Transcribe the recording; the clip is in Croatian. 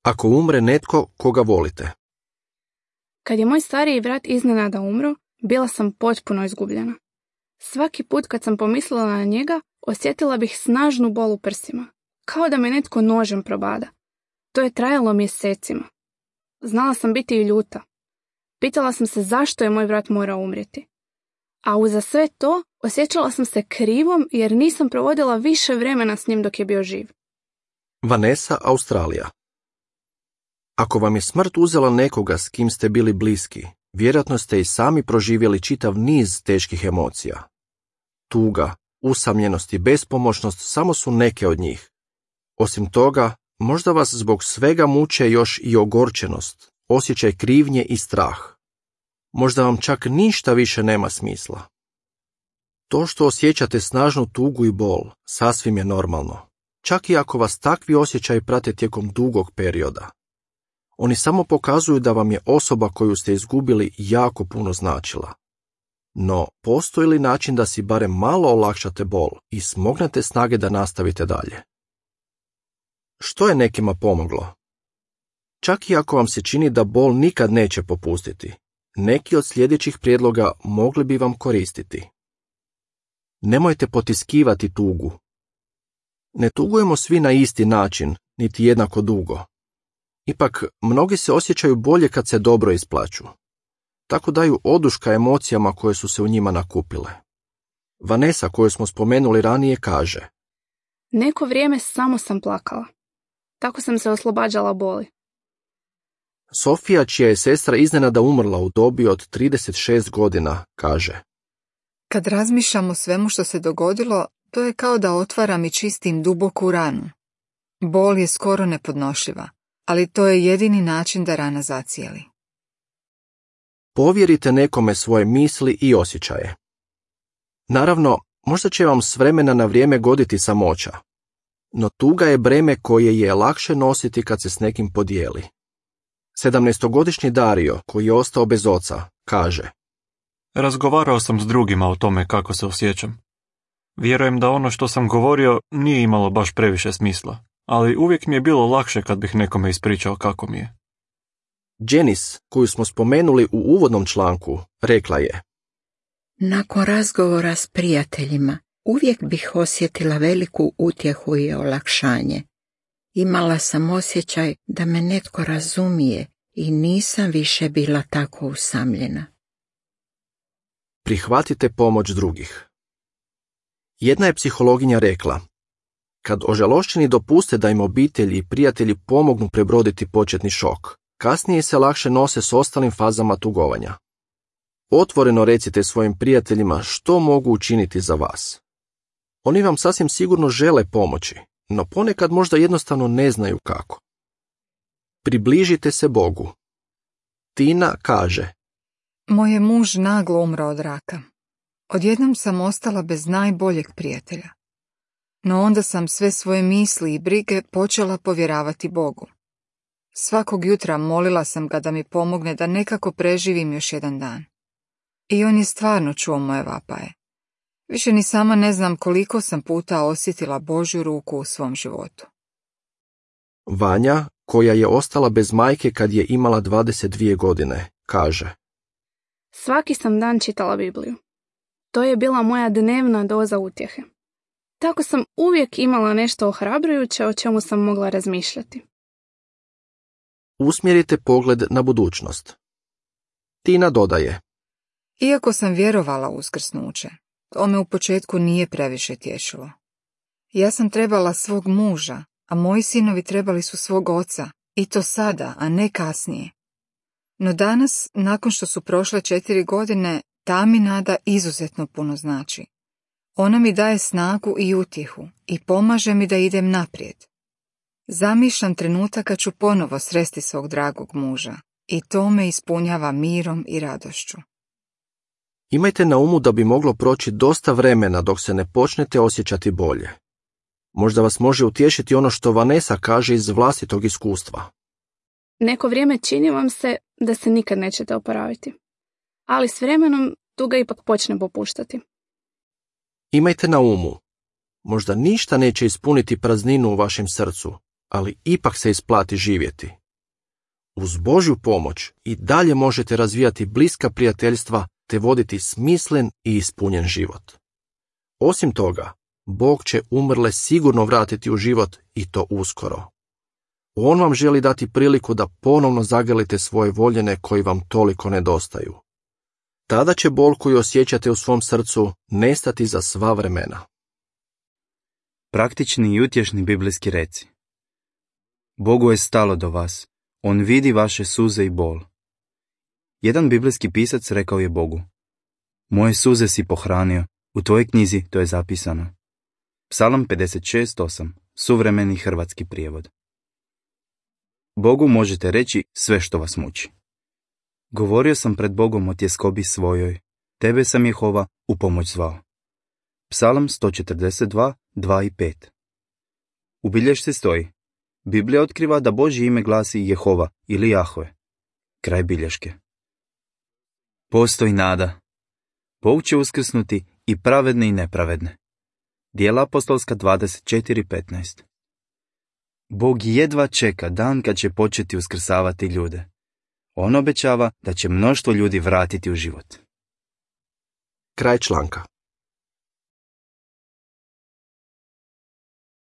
Ako umre netko koga volite. Kad je moj stariji brat iznenada umro, bila sam potpuno izgubljena. Svaki put kad sam pomislila na njega, osjetila bih snažnu bol u prsima, kao da me netko nožem probada. To je trajalo mjesecima. Znala sam biti i ljuta. Pitala sam se zašto je moj brat morao umrijeti. A uza sve to osjećala sam se krivom jer nisam provodila više vremena s njim dok je bio živ. Vanessa, Australija. Ako vam je smrt uzela nekoga s kim ste bili bliski, vjerojatno ste i sami proživjeli čitav niz teških emocija. Tuga, usamljenost i bespomoćnost samo su neke od njih. Osim toga, možda vas zbog svega muče još i ogorčenost, osjećaj krivnje i strah. Možda vam čak ništa više nema smisla. To što osjećate snažnu tugu i bol sasvim je normalno, čak i ako vas takvi osjećaji prate tijekom dugog perioda. Oni samo pokazuju da vam je osoba koju ste izgubili jako puno značila. No, postoji li način da si barem malo olakšate bol i smognete snage da nastavite dalje? Što je nekima pomoglo? Čak i ako vam se čini da bol nikad neće popustiti, neki od sljedećih prijedloga mogli bi vam koristiti. Nemojte potiskivati tugu. Ne tugujemo svi na isti način, niti jednako dugo. Ipak, mnogi se osjećaju bolje kad se dobro isplaću. Tako daju oduška emocijama koje su se u njima nakupile. Vanessa, koju smo spomenuli ranije, kaže: Neko vrijeme samo sam plakala. Tako sam se oslobađala boli. Sofija, čija je sestra iznenada umrla u dobi od 36 godina, kaže: Kad razmišljam o svemu što se dogodilo, to je kao da otvaram i čistim duboku ranu. Bol je skoro nepodnošljiva, ali to je jedini način da rana zacijeli. Povjerite nekome svoje misli i osjećaje. Naravno, možda će vam s vremena na vrijeme goditi samoća, no tuga je breme koje je lakše nositi kad se s nekim podijeli. 17-godišnji Dario, koji je ostao bez oca, kaže: Razgovarao sam s drugima o tome kako se osjećam. Vjerujem da ono što sam govorio nije imalo baš previše smisla, ali uvijek mi je bilo lakše kad bih nekome ispričao kako mi je. Janice, koju smo spomenuli u uvodnom članku, rekla je: Nakon razgovora s prijateljima, uvijek bih osjetila veliku utjehu i olakšanje. Imala sam osjećaj da me netko razumije i nisam više bila tako usamljena. Prihvatite pomoć drugih. Jedna je psihologinja rekla: kad ožalošćeni dopuste da im obitelji i prijatelji pomognu prebroditi početni šok, kasnije se lakše nose s ostalim fazama tugovanja. Otvoreno recite svojim prijateljima što mogu učiniti za vas. Oni vam sasvim sigurno žele pomoći, no ponekad možda jednostavno ne znaju kako. Približite se Bogu. Tina kaže: Moj je muž naglo umro od raka. Odjednom sam ostala bez najboljeg prijatelja. No onda sam sve svoje misli i brige počela povjeravati Bogu. Svakog jutra molila sam ga da mi pomogne da nekako preživim još jedan dan. I on je stvarno čuo moje vapaje. Više ni sama ne znam koliko sam puta osjetila Božju ruku u svom životu. Vanja, koja je ostala bez majke kad je imala 22 godine, kaže: Svaki sam dan čitala Bibliju. To je bila moja dnevna doza utjehe. Tako sam uvijek imala nešto ohrabrujuće o čemu sam mogla razmišljati. Usmjerite pogled na budućnost. Tina dodaje: Iako sam vjerovala u uskrsnuće, to me u početku nije previše tješilo. Ja sam trebala svog muža, a moji sinovi trebali su svog oca, i to sada, a ne kasnije. No danas, nakon što su prošle 4 godine, ta mi nada izuzetno puno znači. Ona mi daje snagu i utjehu i pomaže mi da idem naprijed. Zamišljam trenutak kad ću ponovo sresti svog dragog muža i to me ispunjava mirom i radošću. Imajte na umu da bi moglo proći dosta vremena dok se ne počnete osjećati bolje. Možda vas može utješiti ono što Vanessa kaže iz vlastitog iskustva. Neko vrijeme čini vam se da se nikad nećete oporaviti. Ali s vremenom tuga ipak počne popuštati. Imajte na umu, možda ništa neće ispuniti prazninu u vašem srcu, ali ipak se isplati živjeti. Uz Božju pomoć i dalje možete razvijati bliska prijateljstva te voditi smislen i ispunjen život. Osim toga, Bog će umrle sigurno vratiti u život i to uskoro. On vam želi dati priliku da ponovno zagrlite svoje voljene koji vam toliko nedostaju. Tada će bol koju osjećate u svom srcu nestati za sva vremena. Praktični i utješni biblijski reci. Bogu je stalo do vas. On vidi vaše suze i bol. Jedan biblijski pisac rekao je Bogu: moje suze si pohranio, u tvojoj knjizi to je zapisano. Psalam 56:8, suvremeni hrvatski prijevod. Bogu možete reći sve što vas muči. Govorio sam pred Bogom o tjeskobi svojoj, tebe sam Jehova u pomoć zvao. Psalam 142, 2 i 5. U bilješci stoji: Biblija otkriva da Božje ime glasi Jehova ili Jahve. Kraj bilješke. Postoji nada. Bog će uskrsnuti i pravedne i nepravedne. Djela apostolska 24:15. Bog jedva čeka dan kad će početi uskrsavati ljude. On obećava da će mnoštvo ljudi vratiti u život. Kraj članka.